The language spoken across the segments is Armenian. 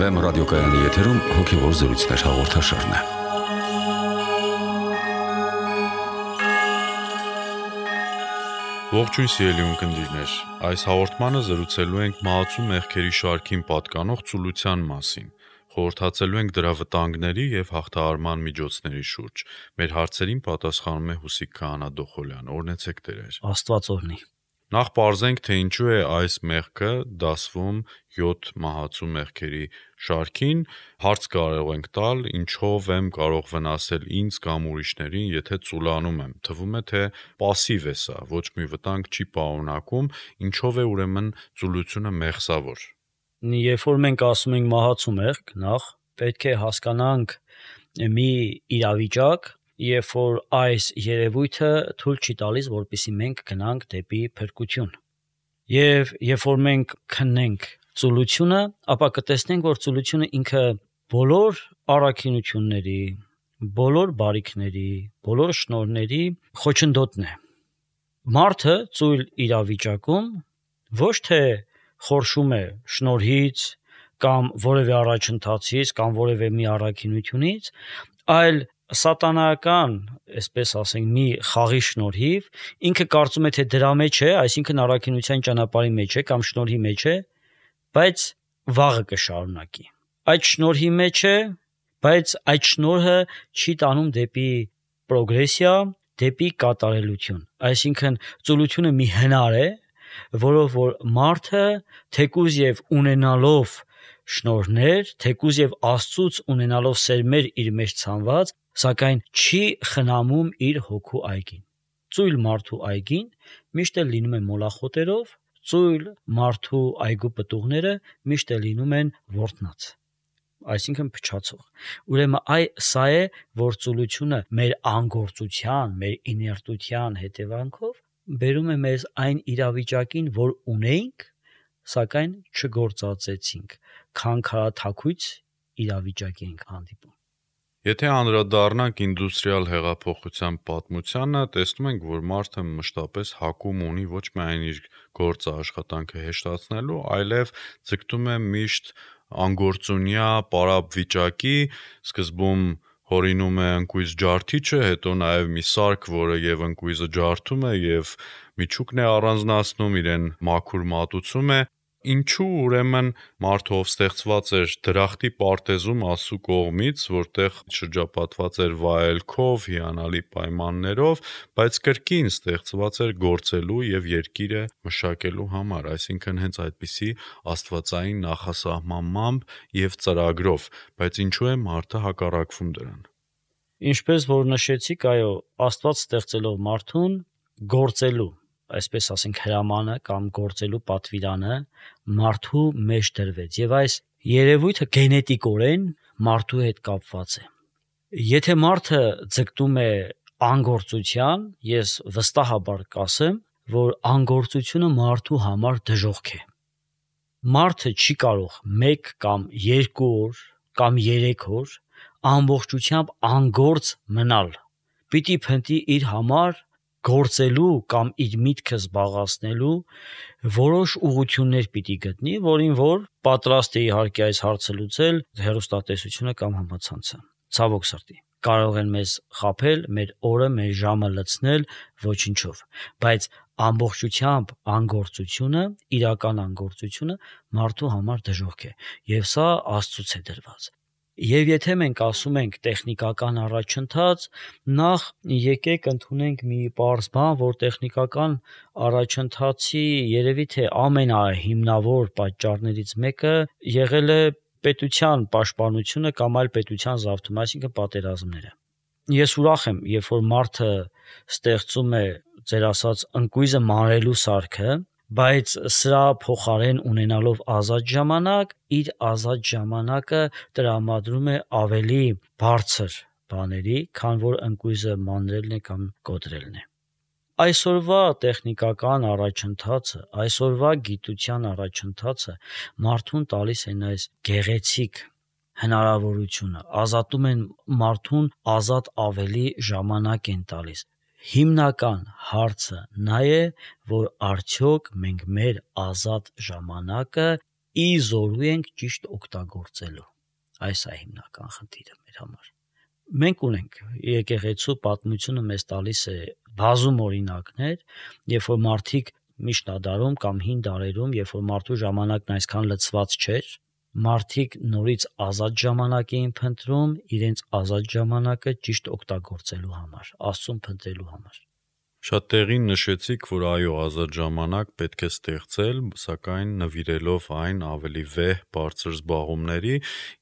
FM ռադիոկայանի եթերում հոգևոր զրույցներ հաղորդաշարն է։ Ողջույն սիրելի ունկնդիրներ, այս հաղորդմանը զրուցելու ենք մահացու մեղքերի շարքին պատկանող ծուլության մասին։ Խորհրդածելու ենք դրա վտանգների և հաղթահարման միջոցների շուրջ։ Մեր հարցերին պատասխանում է Հուսիկ Քահանա Դոխոլյան։ Օրհնեցեք Տեր։ Աստված օրհնի։ Նախ պարզենք, թե ինչու է այս մեղքը դասվում 7 մահացու մեղքերի շարքին, հարց կարող ենք տալ, ինչով եմ կարող վնասել ինձ կամ ուրիշներին, եթե ծուլանում եմ։ Թվում է, թե պասիվ է սա, ոչ մի վտանգ չի պարունակում, ինչով է ուրեմն ծուլությունը մեղսավոր։ Երբ որ մենք ասում ենք մահացու մեղք, նախ պետք է հասկանանք մի իրավիճակ, երբ որ այս երևույթը թույլ չի տալիս, որպեսզի մենք գնանք դեպի փրկություն։ Եվ երբ որ մենք քննենք ծուլությունը, ապա կտեսնենք, որ ծուլությունը ինքը բոլոր առաքինությունների, բոլոր բարիքների, բոլոր շնորհների խոչընդոտն է։ Մարդը ծույլ իրավիճակում ոչ թե խորշում է շնորհից կամ որևէ առաջընթացից կամ որևէ մի առաքինությունից, այլ սատանայական, այսպես ասենք, մի խաղի շնորհիվ ինքը կարծում է, թե դրա մեջ է, այսինքն առաքինության ճանապարհի մեջ է կամ շնորհի մեջ է, բայց վաղը կշարունակի։ Այդ շնորհի մեջ է, բայց այդ շնորհը չի տանում դեպի պրոգրեսիա, դեպի կատարելություն։ Այսինքն ծուլությունը մի հնար է, որով որ մարդը թեկուզ եւ ունենալով շնորհներ, թեկուզ եւ Աստծուց ունենալով սերմեր իր մեջ ցանված, սակայն չի խնամում իր հոգու այգին։ Ծույլ մարդու այգին միշտ էլ լինում է մոլախոտերով, ծույլ մարդու այգու պտուղները միշտ էլ լինում են ворտնած, այսինքն փչացող։ Ուրեմն սա է, որ ծուլությունը մեր անգործության, մեր իներտության հետևանքով բերում է մեզ այն իրավիճակին, որ ունեինք, սակայն չգործածեցինք, քանքարաթաքույց իրավիճակի ենք հանդիպում։ Եթե անդրադառնանք ինդուստրիալ հեղափոխության պատմությանը, տեսնում ենք, որ մարդը մշտապես հակում ունի ոչ միայն իր գործը աշխատանքը հեշտացնելու, այլև ձգտում է միշտ անգործունյա պարապ վիճակի, սկզբում հորինում է ընկույզ ջարդիչը, հետո նաև մի սարք, որը եւ ընկույզը ջարդում է եւ միջուկն է առանձնացնում, իրեն մաքուր մատուցում է։ Ինչու ուրեմն մարդը, ով ստեղծված էր դրախտի պարտեզում Աստծու կողմից, որտեղ շրջապատված էր վայելքով, հիանալի պայմաններով, բայց կրկին ստեղծված էր գործելու եւ երկիրը մշակելու համար, այսինքն հենց այդպիսի աստվածային նախասահմանմամբ եւ ծրագրով, բայց ինչու է մարդը հակառակվում դրան։ Ինչպես որ նշեցիք, այո, Աստված ստեղծելով մարդուն գործելու, այսպես ասենք, հրամանը կամ գործելու պատվիրանը մարդու մեջ դրվեց եւ այս երևույթը գենետիկորեն մարդու հետ կապված է։ Եթե մարդը ձգտում է անգործության, ես վստահաբար կասեմ, որ անգործությունը մարդու համար դժոխք է։ Մարդը չի կարող 1 կամ 2 օր կամ 3 օր ամբողջությամբ անգործ մնալ։ Պիտի փնտրի իր համար գործելու կամ իր միտքը զբաղացնելու որոշ ուղղություններ պիտի գտնի, որին որ պատրաստ է իհարկե այս հարցը լուծել հեռուստատեսությունը կամ համացանցը։ Ցավոք սրտի, կարող են մեզ խաբել, մեր օրը, մեր ժամը լցնել ոչինչով, բայց ամբողջությամբ անգործությունը, իրական անգործությունը մարդու համար դժոխք է, եւ սա Աստծուց է դրված։ Եվ եթե մենք ասում ենք տեխնիկական առաջընթաց, նախ եկեք ընդունենք մի պարզ բան, որ տեխնիկական առաջընթացի երևի թե ամենահիմնավոր պատճառներից մեկը եղել է պետության պաշտպանությունը կամ այլ պետության զավթումը, այսինքն պատերազմները։ Ես ուրախ եմ, երբ որ մարդը ստեղծում է, ձեր ասած, ընկույզը մանրելու սարքը, բայց սրա փոխարեն ունենալով ազատ ժամանակ, իր ազատ ժամանակը տրամադրում է ավելի բարձր բաների, քան որ ընկույզը մանրելն է կամ կոտրելն է։ Այսօրվա տեխնիկական առաջընթացը, այսօրվա գիտության առաջընթացը մարդուն տալիս են այս գեղեցիկ հնարավորությունը, ազատում են մարդուն, ազատ ավելի ժամանակ են տալիս։ Հիմնական հարցը նա է, որ արդյոք մենք մեր ազատ ժամանակը ի զորու ենք ճիշտ օգտագործելու։ Այս է հիմնական խնդիրը մեր համար։ Մենք ունենք եկեղեցու պատմությունը մեզ տալիս է բազում օրինակներ, երբ որ մարդիկ միջնադարում կամ հին դարերում, երբ որ մարդու ժամանակն այսքան լցված չէր, մարդիկ նորից ազատ ժամանակ էին փնտրում իրենց ազատ ժամանակը ճիշտ օգտագործելու համար, Աստծուն փնտրելու համար։ Շատ տեղին նշեցիք, որ այո, ազատ ժամանակ պետք է ստեղծել, սակայն նվիրելով այն ավելի վեհ, բարձր զբաղումների,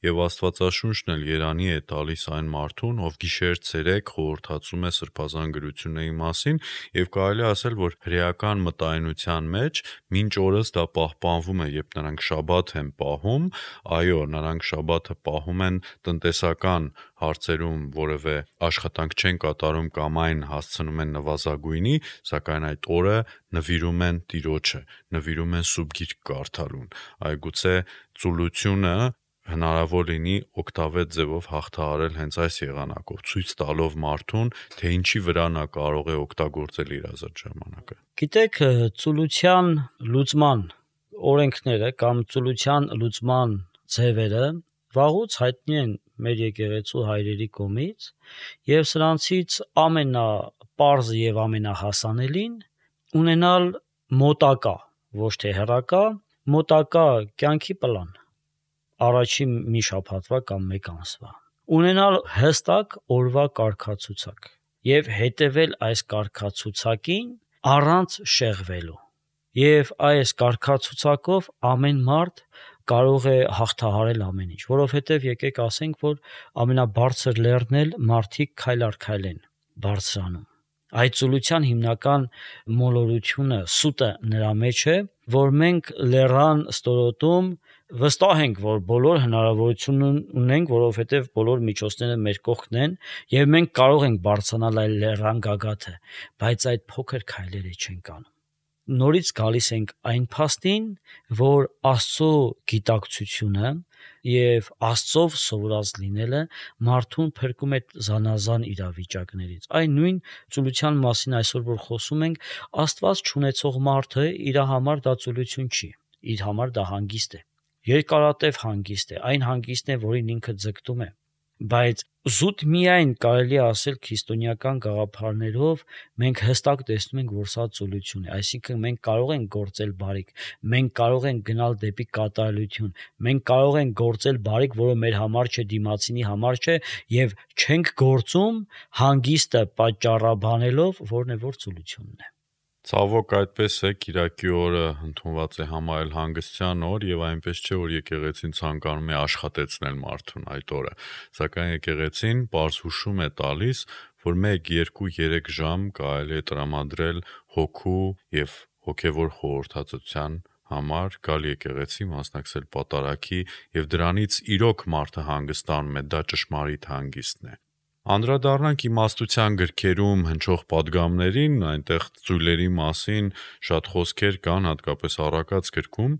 եւ Աստվածաշունչն էլ երանի է տալիս այն մարդուն, ով գիշեր-ցերեկ խորհրդացում է սրբազան գրությունների մասին, եւ կարելի է ասել, որ հրեական մտայնության մեջ մինչ օրս դա պահպանվում է, երբ նրանք շաբաթ են պահում, այո, նրանք շաբաթը պահում են տնտեսական հարցերում որևէ աշխատանք չեն կատարում կամ այն հասցնում են նվազագույնի, սակայն այդ օրը նվիրում են Տիրոջը, նվիրում են Սուրբ Գիրք կարդալուն։ Այգուցե ծուլությունը հնարավոր լինի օգտավետ ձևով հաղթահարել հենց այս եղանակով, ցույց տալով մարդուն, թե ինչի վրա նա կարող է օգտագործել իր ազատ ժամանակը։ Գիտեք, ծուլության լուծման օրենքները կամ ծուլության լուծման ձևերը վաղուց հայտնի են մեր եկեղեցու հայրերի կողմից, եւ սրանցից ամենապարզը եւ ամենահասանելին ունենալ մոտակա, ոչ թե հեռակա, մոտակա կյանքի պլան, առաջին մի շաբաթվա կամ մեկ ամսվա, ունենալ հստակ օրվա կարգացուցակ եւ հետեւել այս կարգացուցակին առանց շեղվելու։ Եվ այս կարգացուցակով ամեն մարդ կարող է հաղթահարել ամեն ինչ, որովհետև եկեք ասենք, որ ամենաբարձր լեռն էլ մարդիկ քայլ առ քայլ են բարձրանում։ Այդ ծուլության հիմնական մոլորությունը, սուտը նրա մեջ է, որ մենք լեռան ստորոտում վստահ ենք, որ բոլոր հնարավորություն ունենք, որովհետև բոլոր միջոցները մեր կողքն են, եւ մենք կարող ենք բարձրանալ այլ լեռան գագաթը, բայց այդ փոքր քայլերը չենք անում։ Նորից գալիս ենք այն փաստին, որ Աստծո գիտակցությունը եւ Աստծով սովորած լինելը մարդուն փրկում է զանազան իրավիճակներից։ Այն նույն ծուլության մասին այսօր որ խոսում ենք, Աստված չունեցող մարդը իր համար դա ծուլություն չի, իր համար դա հանգիստ է, երկարատև հանգիստ է, այն հանգիստն է, որին ինքը ձգտում է, բայց զուտ միայն կարելի է ասել քրիստոնեական գաղափարներով մենք հստակ տեսնում ենք, որ սա ծուլություն է, այսինքն մենք կարող ենք գործել բարիք, մենք կարող ենք գնալ դեպի կատարելություն, մենք կարող ենք գործել բարիք, որը մեր համար չէ, դիմացինի համար չէ, եւ չենք գործում հանգիստը պատճառաբանելով, որն է որ ծուլությունն է։ Ցավոք այդպես է, Կիրակի օրը ընդունված է համարել հանգստյան օր եւ այնպես չէ, որ եկեղեցին ցանկանում է աշխատեցնել մարդուն այդ օրը, սակայն եկեղեցին պարզ հուշում է տալիս, որ 1, 2, 3 ժամ կարելի է տրամադրել հոգու եւ հոգեվոր խորհրդածության համար, գալ եկեղեցի, մասնակցել պատարագի եւ դրանից իրոք մարդը հանգստանում է, դա ճշմարիտ հանգիստն է։ Անդրադառնանք իմաստության գրքերում հնչող պատգամներին, այնտեղ ծույլերի մասին շատ խոսքեր կան, հատկապես առակաց գրքում,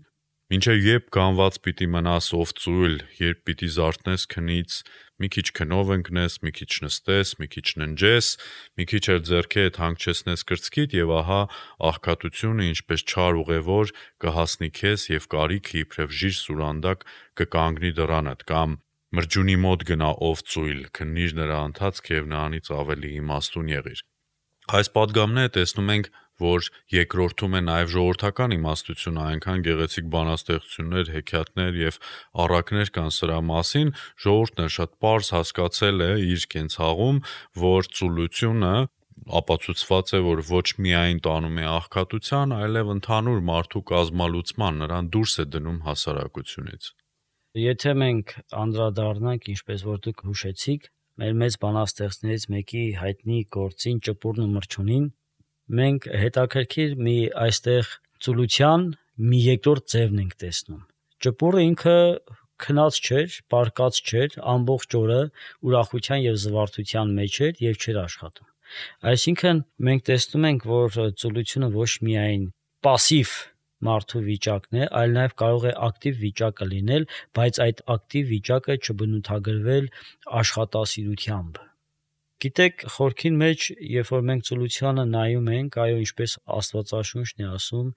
մինչև երբ գանված պիտի մնաս ով ծույլ, երբ պիտի զարթնես քնից, մի քիչ քնով ընկնես, մի քիչ նստես, մի քիչ ննջես, մի քիչ էլ ձեռքերդ հանգչեցնես կրծքիդ եւ ահա աղքատությունը ինչպես չար ուղևոր կհասնի քեզ եւ կարիքը իբրև ժիր սուրանդակ կկանգնի դռանդ կամ Մրջունի մոտ գնա ով ծույլ, քննիր նրա ընթացքը եւ նրանից ավելի իմաստուն եղիր։ Այս պատգամները տեսնում ենք, որ երկրորդում է նաեւ ժողովրդական իմաստությունը, այնքան գեղեցիկ բանաստեղծություններ, հեքիաթներ եւ առակներ կան սրա մասին, ժողովուրդն էլ շատ պարզ հասկացել է իր կենցաղում, որ ծուլությունը ապացուցված է, որ ոչ միայն տանում է աղքատության, այլև ընդհանուր մարդու կազմալուծման, նրան դուրս է դնում հասարակությունից։ Եթե մենք անդրադառնանք, ինչպես որ դուք հուշեցիք, մեր մեծ բանաստեղծներից մեկի հայտնի գործին ճպուրն ու մրջունին, մենք հետաքրքիր մի այստեղ ծուլության մի երկրորդ ձևն ենք տեսնում։ Ճպուրը ինքը քնած չէր, պարկած չէր, ամբողջ օրը ուրախության եւ զվարթության մեջ էր եւ չէր աշխատում։ Այսինքն մենք տեսնում ենք, որ ծուլությունը ոչ միայն пассив մարդու վիճակն է, այլ նաև կարող է ակտիվ վիճակը լինել, բայց այդ ակտիվ վիճակը չբնութագրվել աշխատասիրությամբ։ Գիտեք, խորքին մեջ, երբ որ մենք ծուլությանը նայում ենք, այո, ինչպես Աստվածաշունչն է ասում,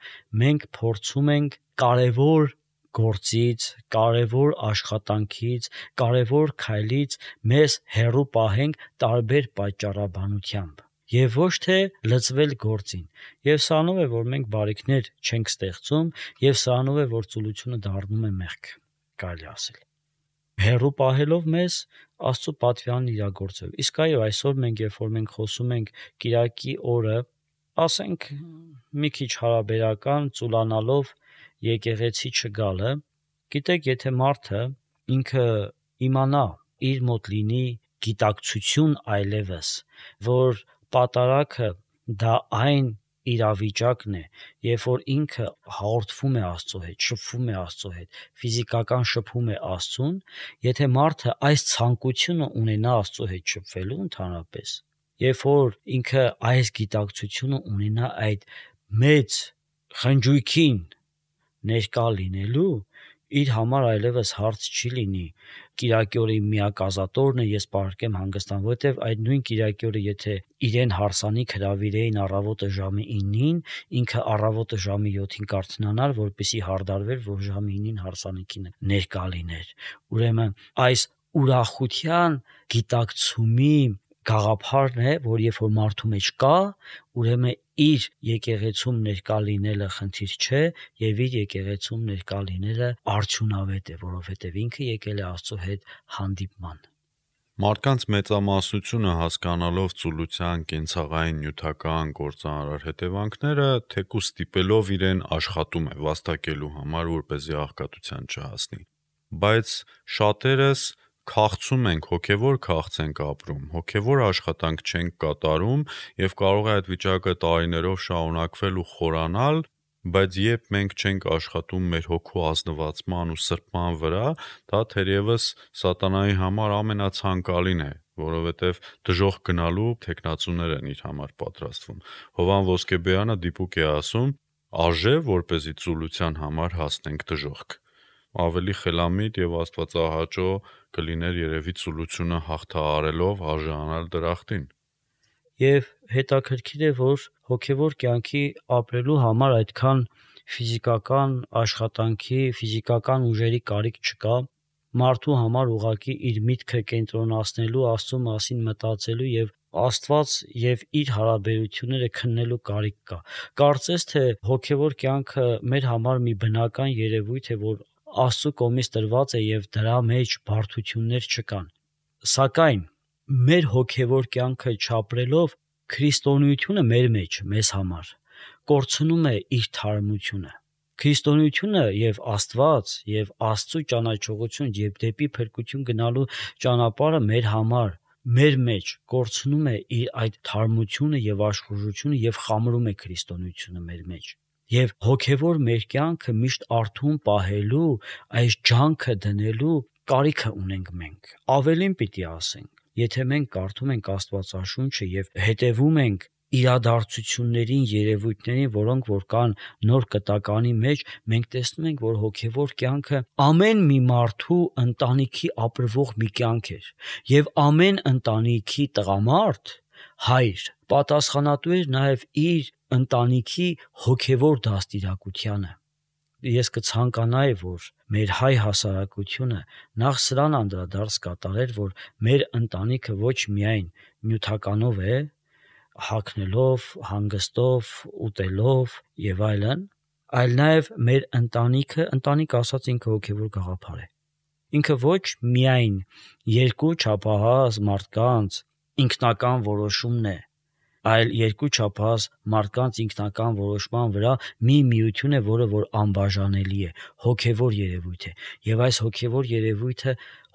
մենք փորձում ենք կարևոր գործից, կարևոր աշխատանքից, կարևոր քայլից մեզ հեռու պահենք տարբեր պատճառաբանությամբ եւ ոչ թե լծվել գործին։ Եվ սրանով է, որ մենք բարիքներ չենք ստեղծում եւ սրանով է, որ ծուլությունը դառնում է մեղք, կարելի ասել։ Հեռու պահելով մեզ Աստծո պատվիրանն իրագործել։ Իսկ այո, այսօր մենք երբ որ մենք խոսում ենք Կիրակի օրը, ասենք մի քիչ հարաբերական ծուլանալով եկեղեցի չգալը, գիտեք, եթե մարդը ինքը իմանա, իր մոտ լինի գիտակցություն այլևս, որ պատարագը դա այն իրավիճակն է, երբ որ ինքը հաղորդվում է Աստծո հետ, շփվում է Աստծո հետ, ֆիզիկական շփում է Աստծուն, եթե մարդը այս ցանկությունը ունենա Աստծո հետ շփվելու ընդհանրապես, երբ որ ինքը այս գիտակցությունը ունենա այդ մեծ խնջույքին ներկա լինելու, իր համար այլևս հարց չի լինի Կիրակի օրը միակ ազատորն է, ես պարկեմ հանգստան, որովհետև այդ նույն Կիրակի օրը եթե իրեն հարսանիք հրավիրեին առավոտը ժամի 9-ին, ինքը առավոտը ժամի 7-ին կարթնանար, որպեսզի հարդարվեր, որ ժամի 9-ին հարսանիքին ներկա լիներ։ Ուրեմն այս ուրախության գիտակցումի գաղափարն է, որ երբ որ մարդու մեջ կա, ուրեմն իր եկեղեցում ներկա լինելը խնդիր չէ եւ իր եկեղեցում ներկա լինելը արդյունավետ է, որովհետեւ ինքը եկել է Աստծո հետ հանդիպման։ Մարդկանց մեծամասնությունը հասկանալով ծուլության կենցաղային նյութական գործարար հետևանքները, թեկուզ ստիպելով իրեն աշխատում է վաստակելու համար, որպեսզի աղքատության չհասնի։ Բայց շատերս քաղցում ենք, հոգևոր քաղց ենք ապրում, հոգևոր աշխատանք չենք կատարում եւ կարող է այդ վիճակը տարիներով շարունակվել ու խորանալ, բայց երբ մենք չենք աշխատում մեր հոգու ազնվացման ու սրբման վրա, դա թերևս սատանայի համար ամենացանկալին է, որովհետև դժոխք գնալու թեկնածուներ են իր համար պատրաստվում։ Հովան Ոսկեբեյանը դիպուկ է ասում. «Արժե, որպեսզի ծուլության համար հասնենք դժոխք»։ Ավելի խելամիտ եւ աստվածահաճո կլիներ երևի ծուլությունը հաղթահարելով արժանանալ դրախտին։ Եվ հետաքրքիր է, որ հոգևոր կյանքի ապրելու համար այդքան ֆիզիկական աշխատանքի, ֆիզիկական ուժերի կարիք չկա, մարդու համար ուղղակի իր միտքը կենտրոնացնելու, Աստծո մասին մտածելու եւ Աստված եւ իր հարաբերությունները քննելու կարիք կա։ Կարծես թե հոգևոր կյանքը մեր համար մի բնական երևույթ է, որ Աստծո կողմից տրված է եւ դրա մեջ բարդություններ չկան։ Սակայն մեր հոգևոր կյանքը չապրելով քրիստոնեությունը մեր մեջ, մեզ համար կորցնում է իր թարմությունը։ Քրիստոնեությունը եւ Աստված եւ Աստծո ճանաչողություն եւ դեպի փրկություն գնալու ճանապարհը մեր համար, մեր մեջ կորցնում է իր այդ թարմությունը եւ աշխուժությունը եւ խամրում է քրիստոնեությունը մեր մեջ։ Եվ հոգևոր մեր կյանքը միշտ արթուն պահելու, այս ջանքը դնելու կարիքը ունենք մենք։ Ավելին պիտի ասենք, եթե մենք կարդում ենք Աստվածաշունչը եւ հետևում ենք իրադարձություններին, երևույթներին, որոնք որ կան նոր կտականի մեջ, մենք տեսնում ենք, որ հոգևոր կյանքը ամեն մի մարդու ընտանիքի ապրվող մի կյանք էր, եւ ամեն ընտանիքի տղամարդ, հայր, պատասխանատու էր նաեւ իր ընտանիքի հոգևոր դաստիարակությանը։ Ես կցանկանայի, որ մեր հայ հասարակությունը նախ սրան անդրադարձ կատարեր, որ մեր ընտանիքը ոչ միայն նյութականով է, հագնելով, հանգստով, ուտելով եւ այլն, այլ նաեւ մեր ընտանիք ասած ինքը հոգևոր գաղափար է։ Ինքը ոչ միայն երկու չափահաս մարդկանց ինքնական որոշումն է, այլ երկու չափահաս մարդկանց ինքնական որոշման վրա մի միություն է, որը որ անբաժանելի է, հոգևոր երևույթ է, եւ այս հոգևոր երևույթը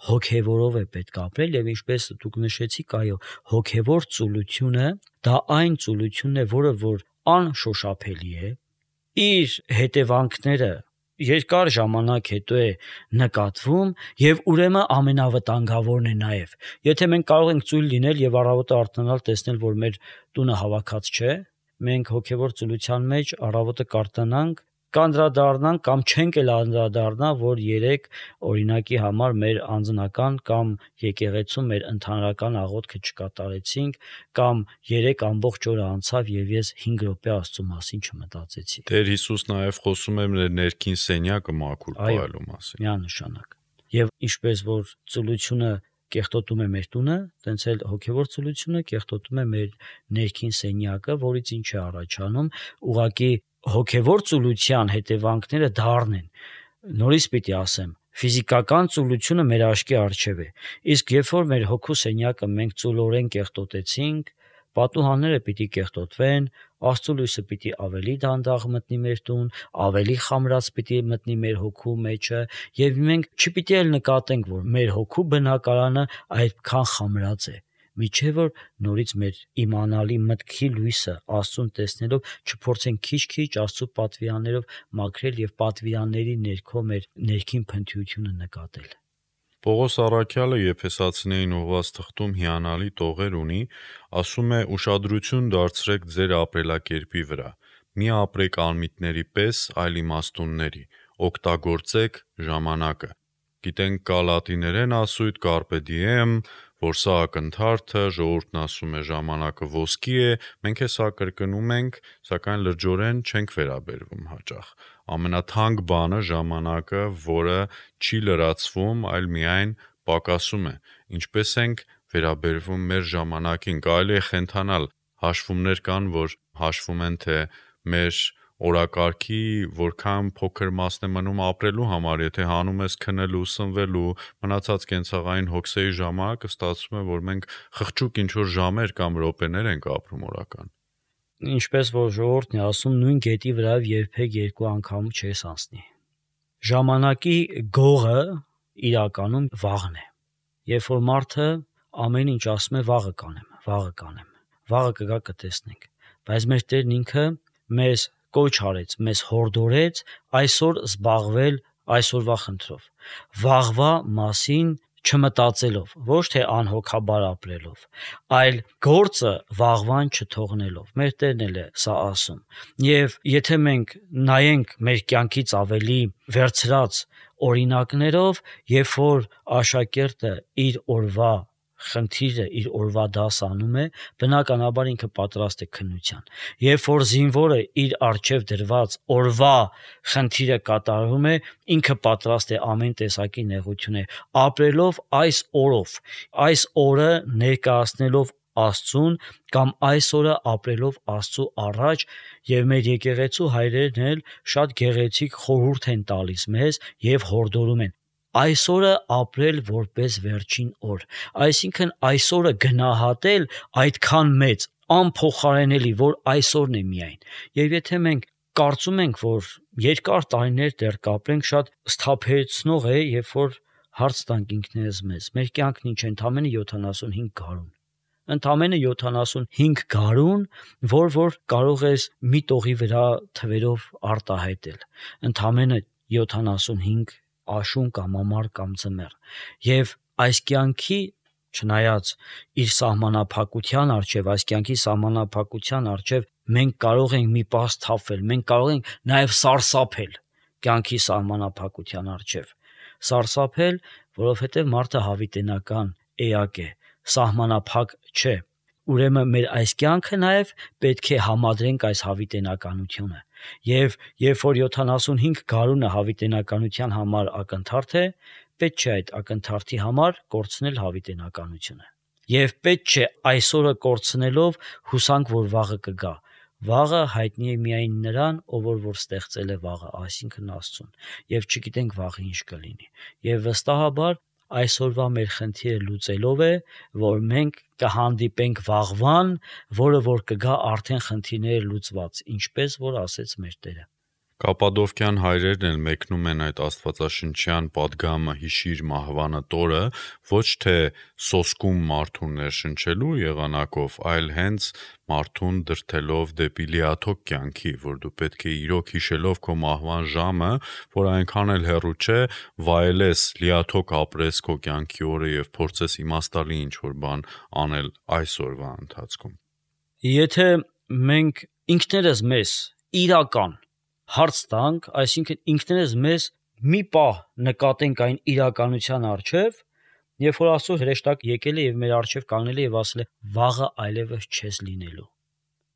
հոգևորով է պետք ապրել, եւ ինչպես դուք նշեցիք, այո, հոգևոր ծուլությունը դա այն ծուլությունն է, որը որ անշոշափելի է, իր հետևանքները երկար ժամանակ հետո է նկատվում եւ ուրեմն ամենավտանգավորն է նաեւ։ Եթե մենք կարող ենք ծույլ լինել եւ առավոտը արթնանալ, տեսնել, որ մեր տունը հավաքած չէ, մենք հոգևոր ծուլության մեջ առավոտը կարթնանանք, կանդրադառնանք կամ չենք էլ անդրադառնա, որ երեք օրինակի համար մեր անձնական կամ եկեղեցու մեր ընդհանրական աղոթքը չկատարեցինք, կամ երեք ամբողջ օրը անցավ եւ ես 5 րոպե Աստծո մասին չմտածեցի։ Տեր Հիսուս նաև խոսում է մեր ներքին սենյակը մաքուր պահելու մասին։ Միանշանակ։ Եվ ինչպես որ ծուլությունը կեղտոտում է մեր տունը, տենց էլ հոգևոր ծուլությունը կեղտոտում է մեր ներքին սենյակը, որից ինչ է առաջանում, ուղղակի հոգևոր ծուլության հետևանքները դառն են։ Նորից պիտի ասեմ, ֆիզիկական ծուլությունը մեր աչքի առջև է, իսկ երբ որ մեր հոգու սենյակը մենք ծուլորեն կեղտոտեցինք, պատուհանները պիտի կեղտոտվեն, Աստծո լույսը պիտի ավելի դանդաղ մտնի մեր տուն, ավելի խամրած պիտի մտնի մեր հոգու մեջը, եւ մենք չպիտի էլ նկատենք, որ մեր հոգու բնակարանը այդքան խամրած է, միջև որ նորից մեր իմանալի մտքի լույսը Աստծուն տեսնելով չփորձենք քիչ-քիչ Աստծո պատվիրաններով մաքրել եւ պատվիրանների ներքո մեր ներքին փնթյությունը նկատել։ Պողոս առաքյալը Եփեսացիներին ուղղված թղթում հիանալի տողեր ունի, ասում է. «Ուշադրություն դարձրեք ձեր ապրելակերպի վրա, մի ապրեք անմիտների պես, այլ իմաստունների, օգտագործեք ժամանակը»։ Գիտենք կա լատիներեն ասույթ carpe diem, որ սա ակնթարթը, ժողովուրդն ասում է ժամանակը ոսկի է, մենք է սա կրկնում ենք, սակայն լրջորեն չենք վերաբերվում հաճախ։ Ամենաթանկ բանը ժամանակը, որը չի լրացվում, այլ միայն պակասում է։ Ինչպես ենք վերաբերվում մեր ժամանակին, կարելի է խենթանալ, հաշվումներ կան, որ հաշվում են, թե մեր օրակարգի որքան փոքր մասն է մնում ապրելու համար, եթե հանում ես քնելու, սնվելու, մնացած կենցաղային հոգսերի ժամանակը ստացվում է, որ մենք խղճուկ ինչ-որ ժամեր կամ րոպեներ ենք ապրում օրական։ Ինչպես որ ժողովուրդն է ասում, նույն գետի վրայով երբեք երկու անգամ չես անցնի։ Ժամանակի գողը իրականում վաղն է։ Երբ որ մարդը ամեն ինչ ասում է վաղը կանեմ, վաղը կգա կտեսնենք, բայց մեր Տերն ինքը մեզ կոչ արեց, մեզ հորդորեց այսօր զբաղվել այսօրվա խնդրով, վաղվա մասին չմտածելով, ոչ թե անհոգաբար ապրելով, այլ գործը վաղվան չթողնելով։ Մեր Տերն էլ է սա ասում։ Եվ եթե մենք նայենք մեր կյանքից ավելի վերցրած օրինակներով, երբ որ աշակերտը իր օրվա խնդիրը, իր օրվա դաս անում է, բնականաբար ինքը պատրաստ է քննության։ Երբ որ զինվորը իր առջև դրված օրվա խնդիրը կատարում է, ինքը պատրաստ է ամեն տեսակի նեղությունը ապրելով այս օրով, այս օրը ներկայացնելով Աստծուն կամ այս օրը ապրելով Աստծո առաջ, եւ մեր եկեղեցու հայրերն էլ շատ գեղեցիկ խորհուրդ են տալիս մեզ եւ հորդորում են այսօրը ապրել որպես վերջին օր, այսինքն այսօրը գնահատել այդքան մեծ, անփոխարենելի, որ այսօրն է միայն։ Եվ եթե մենք կարծում ենք, որ երկար տարիներ դեռ կապրենք, շատ սթափեցնող է, երբ որ հարց տանք ինքներս մեզ, մեր կյանքն ինչ է, ընդամենը 75 գարուն։ Ընդամենը 75 գարուն, որ կարող ես մի տողի վրա թվերով արտահայտել։ Ընդամենը 75 աշուն կամ ամառ կամ ձմեռ։ Եվ այս կյանքի չնայած իր սահմանափակության առջև, այս կյանքի սահմանափակության առջև մենք կարող ենք մի պահ սթափվել, մենք կարող ենք նաև սարսափել կյանքի սահմանափակության առջև։ Սարսափել, որովհետև մարդը հավիտենական էակ է, սահմանափակ չէ։ Ուրեմն մեր այս կյանքը նաև պետք է համադրենք այս հավիտենականությունը։ Եվ երբ որ 75 գարունը հավիտենականության համար ակնթարթ է, պետք չէ այդ ակնթարթի համար կորցնել հավիտենականությունը։ Եվ պետք չէ այսօրը կորցնելով հուսանք, որ վաղը կգա։ Վաղը հայտնի է միայն նրան, ով որ ստեղծել է վաղը, այսինքն Աստծուն, եւ չգիտենք վաղը ինչ կլինի։ Եվ վստահաբար այսօրվա մեր խնդիրը լուծելով է, որ մենք կհանդիպենք վաղվան, որը որ կգա արդեն խնդիրները լուծված, ինչպես որ ասեց մեր Տերը։ Կապադովկյան հայրերն էլ մեկնում են այդ աստվածաշնչյան պատգամը հիշիր մահվանը տորը ոչ թե սոսկում մարդուն ներշնչելու եղանակով, այլ հենց մարդուն դրթելով դեպի լիաթոք կյանքի, որ դու պետք է իրոք հիշելով քո մահվան ժամը, որ այնքան էլ հեռու չէ, վայելես, լիաթոք ապրես քո կյանքի օրը եւ փորձես իմաստալի ինչ-որ բան անել այսօրվա ընթացքում։ Եթե մենք ինքներս մեզ իրական հարց տանք, այսինքն ինքներս մեզ մի պահ նկատենք այն իրականության առջև, երբ որ Աստծո հրեշտակ եկել է եւ մեր առջև կանգնել է եւ ասել է վաղը այլևս չես լինելու։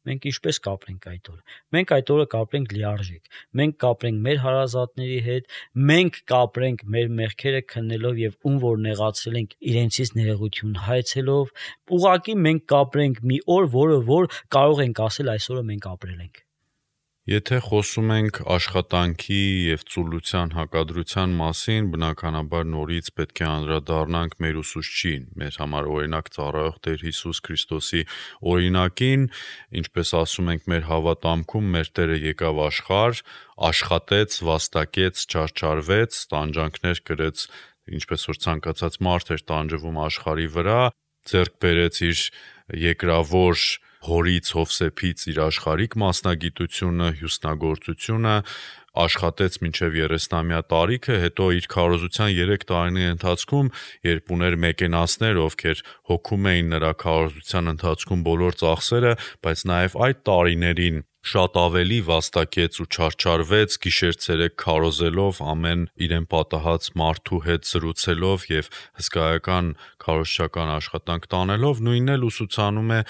Մենք ինչպես կապրենք այդ օրը։ Մենք այդ օրը կապրենք լիարժեք։ Մենք կապրենք մեր հարազատների հետ, մենք կապրենք մեր մեղքերը քննելով եւ ում որ նեղացրել ենք իրենցից ներողություն հայցելով, ուղղակի մենք կապրենք մի օր, որը որ կարող ենք ասել այսօրը մենք ապրել ենք։ Եթե խոսում ենք աշխատանքի եւ ծուլության հակադրության մասին, բնականաբար նորից պետք է անդրադառնանք մեր ուսուցչին, մեր համար օրինակ ծառայող Տեր Հիսուս Քրիստոսի օրինակին, ինչպես ասում ենք մեր հավատամքում, մեր Տերը եկավ աշխարհ, աշխատեց, վաստակեց, չարչարվեց, տանջանքներ կրեց, ինչպես որ ցանկացած մարդ էր տանջվում աշխարհի վրա, ձեռք բերեց իր երկրավոր հորից Հովսեփից իր աշխարհիկ մասնագիտությունը, հյուսնագործությունը, աշխատեց մինչև 30-ամյա տարիքը, հետո իր քարոզության 3 տարիների ընթացքում, երբ ուներ մեկենասներ, ովքեր հոգում էին նրա քարոզության ընթացքում բոլոր ծախսերը, բայց նաև այդ տարիներին շատ ավելի վաստակեց ու չարչարվեց, գիշեր-ցերեկ քարոզելով, ամեն իրեն պատահած մարդու հետ զրուցելով եւ հսկայական քարոզչական աշխատանք տանելով, նույնն էլ ուսուցանում է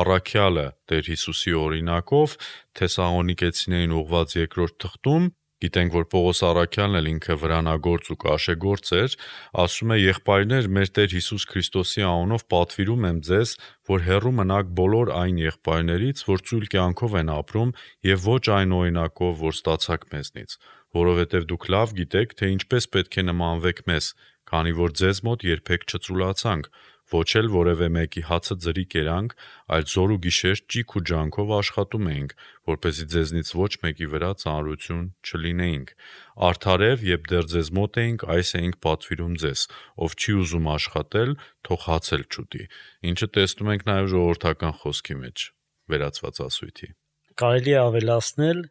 առաքյալը Տեր Հիսուսի օրինակով, Թեսաղոնիկեցիներին ուղված 2-րդ թղթում։ Գիտենք, որ Պողոս առաքյալն էլ ինքը վրանագործ ու կաշեգործ էր, ասում է. «Եղբայրներ, մեր Տեր Հիսուս Քրիստոսի անունով պատվիրում եմ ձեզ, որ հեռու մնաք բոլոր այն եղբայրներից, որ ծույլ կյանքով են ապրում եւ ոչ այն օրինակով, որ ստացաք մեզնից, որովհետեւ դուք լավ գիտեք, թե ինչպես պետք է նմանվեք մեզ, քանի որ ձեզ մոտ երբեք չծուլացանք, ոչ էլ որևէ մեկի հացը ձրի կերանք, այլ զոր ու գիշեր ճիգ ու ջանքով աշխատում էինք, որպեսզի ձեզնից ոչ մեկի վրա ծանրություն չլինեինք։ Արդարև, երբ դեռ ձեզ մոտ էինք, այս էինք պատվիրում ձեզ, ով չի ուզում աշխատել, թող հաց էլ չուտի», ինչը տեսնում ենք նաև ժողովրդական խոսքի մեջ, վերացված ասույթի։ Կարելի է ավելացնել,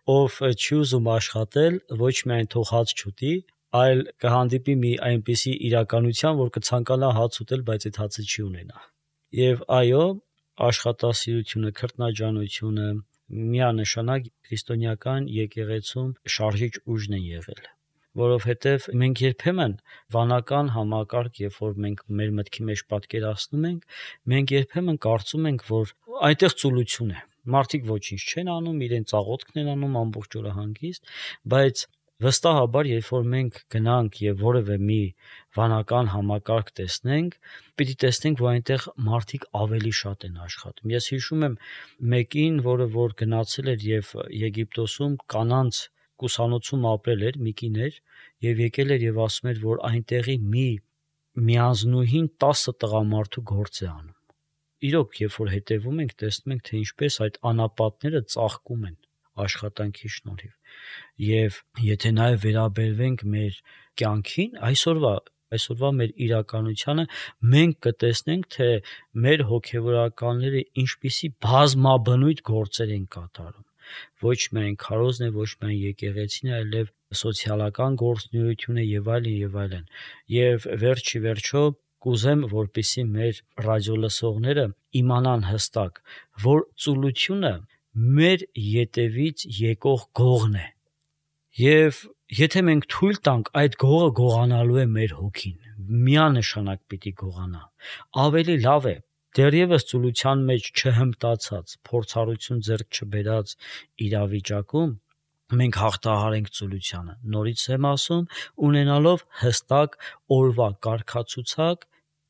ով չի ուզում աշխատել, ոչ միայն թող հաց չուտի, այլ կհանդիպի մի այնպիսի իրականության, որ կցանկանա հաց ուտել, բայց այդ հացը չի ունենա։ Եվ այո, աշխատասիրությունը, քրտնաջանությունը միանշանակ քրիստոնեական եկեղեցում շարժիչ ուժն են եղել, որովհետև մենք երբեմն վանական համակարգ, երբ որ մենք մեր մտքի մեջ պատկերացնում ենք, մենք երբեմն կարծում ենք, որ այնտեղ ծուլություն է։ Մարդիկ ոչինչ չեն անում, իրենց աղոթքն են անում ամբողջ օրը հանգիստ, բայց վստահաբար, երբ որ մենք գնանք եւ որևէ մի վանական համակարգ տեսնենք, պիտի տեսնենք, որ այնտեղ մարդիկ ավելի շատ են աշխատում։ Ես հիշում եմ մեկին, որը որ գնացել էր եւ Եգիպտոսում կանանց կուսանոցում ապրել էր, մի կին էր, եւ եկել էր եւ ասում էր, որ այնտեղի միանձնուհին 10 տղամարդու գործ է անում։ Իրոք, երբ որ հետևում ենք, տեսնում ենք, թե ինչպես այդ անապատները ծաղկում են աշխատանքի շնորհիվ։ Եվ եթե նաև վերաբերվենք մեր կյանքին, այսօրվա մեր իրականությանը, մենք կտեսնենք, թե մեր հոգևորականները ինչպիսի բազմաբնույթ գործեր են կատարում։ Ոչ միայն քարոզն է, ոչ միայն եկեղեցին, այլև սոցիալական գործունեությունը եւ այլն։ Եվ վերջի վերջո կուզեմ, որպեսզի մեր ռադիոլսողները իմանան հստակ, որ ծուլությունը մեր ետևից եկող գողն է։ Եվ եթե մենք թույլ տանք, այդ գողը գողանալու է մեր հոգին, միանշանակ պիտի գողանա։ Ավելի լավ է դեռևս ծուլության մեջ չհմտացած, փորձառություն ձեռք չբերած իրավիճակում մենք հաղթահարենք ծուլությանը։ Նորից եմ ասում, ունենալով հստակ օրվա կարգացուցակ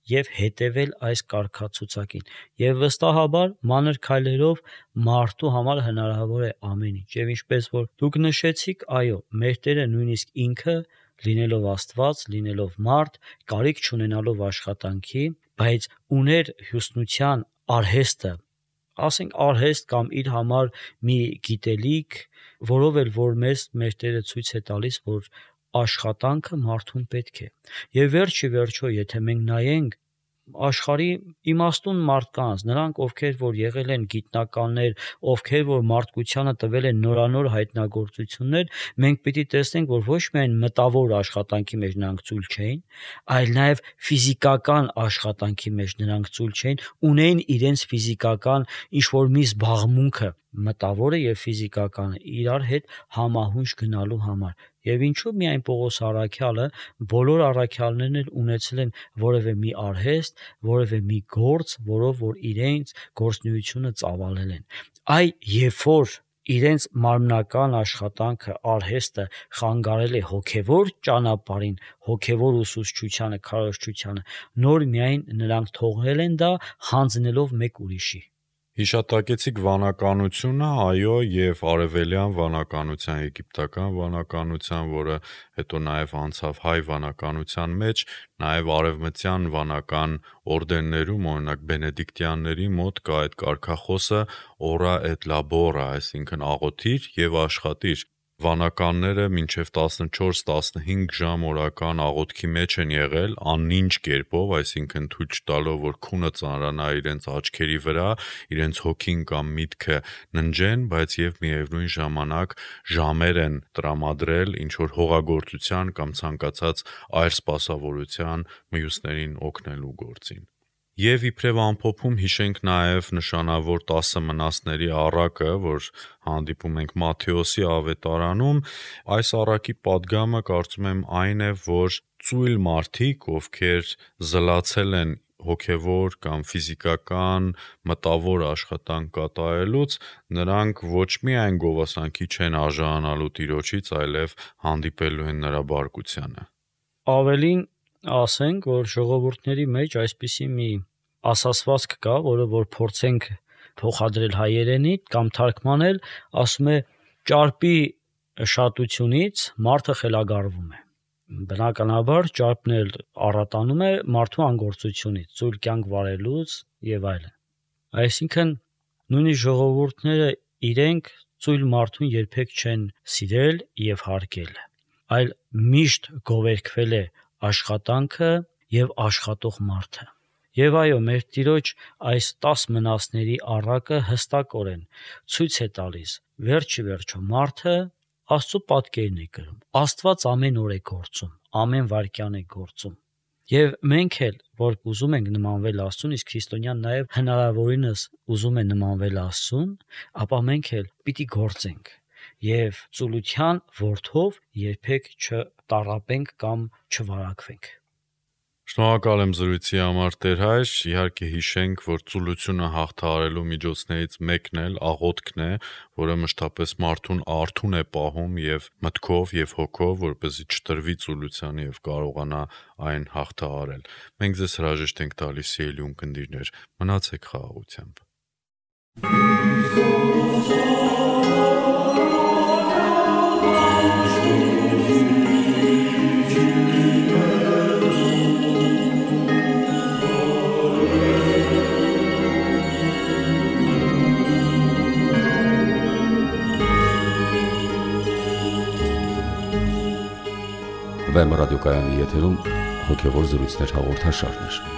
եւ հետևել այս կարգացուցակին։ Եվ վստահաբար մանր քայլերով մարդու համար հնարավոր է ամեն ինչ։ Եվ ինչպես որ դուք նշեցիք, այո, մեր Տերը նույնիսկ ինքը լինելով Աստված, լինելով մարդ, կարիք չունենալով աշխատանքի, բայց ուներ հյուսնության արհեստը, ասենք արհեստ կամ իր համար մի գիտելիք, որով էլ որ մեր Տերը ցույց է տալիս, որ աշխատանքը մարդուն պետք է։ Եվ վերջի վերջո, եթե մենք նայենք աշխարհի իմաստուն մարդկանց, նրանք ովքեր որ եղել են գիտնականներ, ովքեր որ մարդկությանը տվել են նորանոր հայտնագործություններ, մենք պիտի տեսնենք, որ ոչ միայն մտավոր աշխատանքի մեջ նրանք ծույլ չէին, այլ նաև ֆիզիկական աշխատանքի մեջ նրանք ծույլ չէին, ունեին իրենց ֆիզիկական ինչ-որ մի զբաղմունքը, մտավորը եւ ֆիզիկականը իրար հետ համահունչ գնալու համար։ Եվ ինչու միայն Պողոս առաքյալը, բոլոր առաքյալներն էլ ունեցել են որևէ մի արհեստ, որևէ մի գործ, որով որ իրենց գործունեությունը ծավալել են։ Երբ որ իրենց մարմնական աշխատանքը, արհեստը խանգարել է հոգևոր ճանապարհին, հոգևոր ուսուցչությանը, քարոզչությանը, նոր միայն նրանք թողնել են դա, հանձնելով մեկ ուրիշի։ Հիշատակեցիք վանականությունը, այո, եւ արևելյան վանականության, եգիպտական վանականության, որը հետո նաեւ անցավ հայ վանականության մեջ, նաեւ արևմտյան վանական օրդեններում, օրինակ բենեդիկտյանների մոտ կա այդ կարգախոսը ora et labora, այսինքն աղոթիր եւ աշխատիր։ Վանականները մինչև 14-15 ժամ օրական աղոթքի մեջ են եղել անինչ կերպով, այսինքն թույլ չտալով, որ քունը ծանրանա իրենց աչքերի վրա, իրենց հոգին կամ միտքը ննջեն, բայց եւ միևնույն ժամանակ ժամեր են տրամադրել ինչ որ հողագործության կամ ցանկացած այլ սպասավորության մյուսներին օգնելու գործին։ Եվ իբրև ամփոփում հիշենք նաև նշանավոր 10 մնացների առակը, որ հանդիպում ենք Մատթեոսի ավետարանում, այս առակի պատգամը կարծում եմ այն է, որ ծույլ մարդիկ, ովքեր զլացել են հոգևոր կամ ֆիզիկական մտավոր աշխատանք կատարելուց, նրանք ոչ միայն գովասանքի չեն արժանանալու Տիրոջից, այլև հանդիպելու են նրա բարկությանը։ Ավելին ասենք, որ ժողովուրդների մեջ այսպիսի մի ասացվածք կա, որը որ փորձենք փոխադրել հայերենի կամ թարգմանել, ասում է ճարպի շատությունից մարդը խելագարվում է։ Բնականաբար ճարպն էլ առատանում է մարդու անգործությունից, ծույլ կյանք վարելուց եւ այլն։ Այսինքն նույնիսկ ժողովուրդները իրենք ծույլ մարդուն երբեք չեն սիրել եւ հարգել, այլ միշտ գովերգվել է աշխատանքը եւ աշխատող մարդը։ Եվ այո, մեր Տիրոջ այս 10 մնացների առակը հստակորեն ցույց է տալիս, վերջը մարդը Աստծո պատկերն է կրում։ Աստված ամեն օր է գործում, ամեն վայրկյան է գործում։ Եվ մենք էլ, որ ուզում ենք նմանվել Աստծուն, իսկ քրիստոնյան նաև հնարավորինս ուզում է նմանվել Աստծուն, ապա մենք էլ պիտի գործենք եւ ծուլության որդով երբեք չտառապենք կամ չվարակվենք։ Շնորհակալ եմ զրույցի համար, Տեր հայր, իհարկե հիշենք, որ ծուլությունը հաղթահարելու միջոցներից մեկն էլ աղոթքն է, որը մշտապես մարդուն արթուն է պահում եւ մտքով եւ հոգով, որպեսզի չտրվի ծուլությանը եւ կարողանա այն հաղթահարել։ Մենք ձեզ հրաժեշտ ենք տալիս, սիրելի ունկնդիրներ, մնացեք խաղաղությամբ։ Վեմ ռադիոկայանի եթերում հոգևոր զրույցներ հաղորդաշարներ։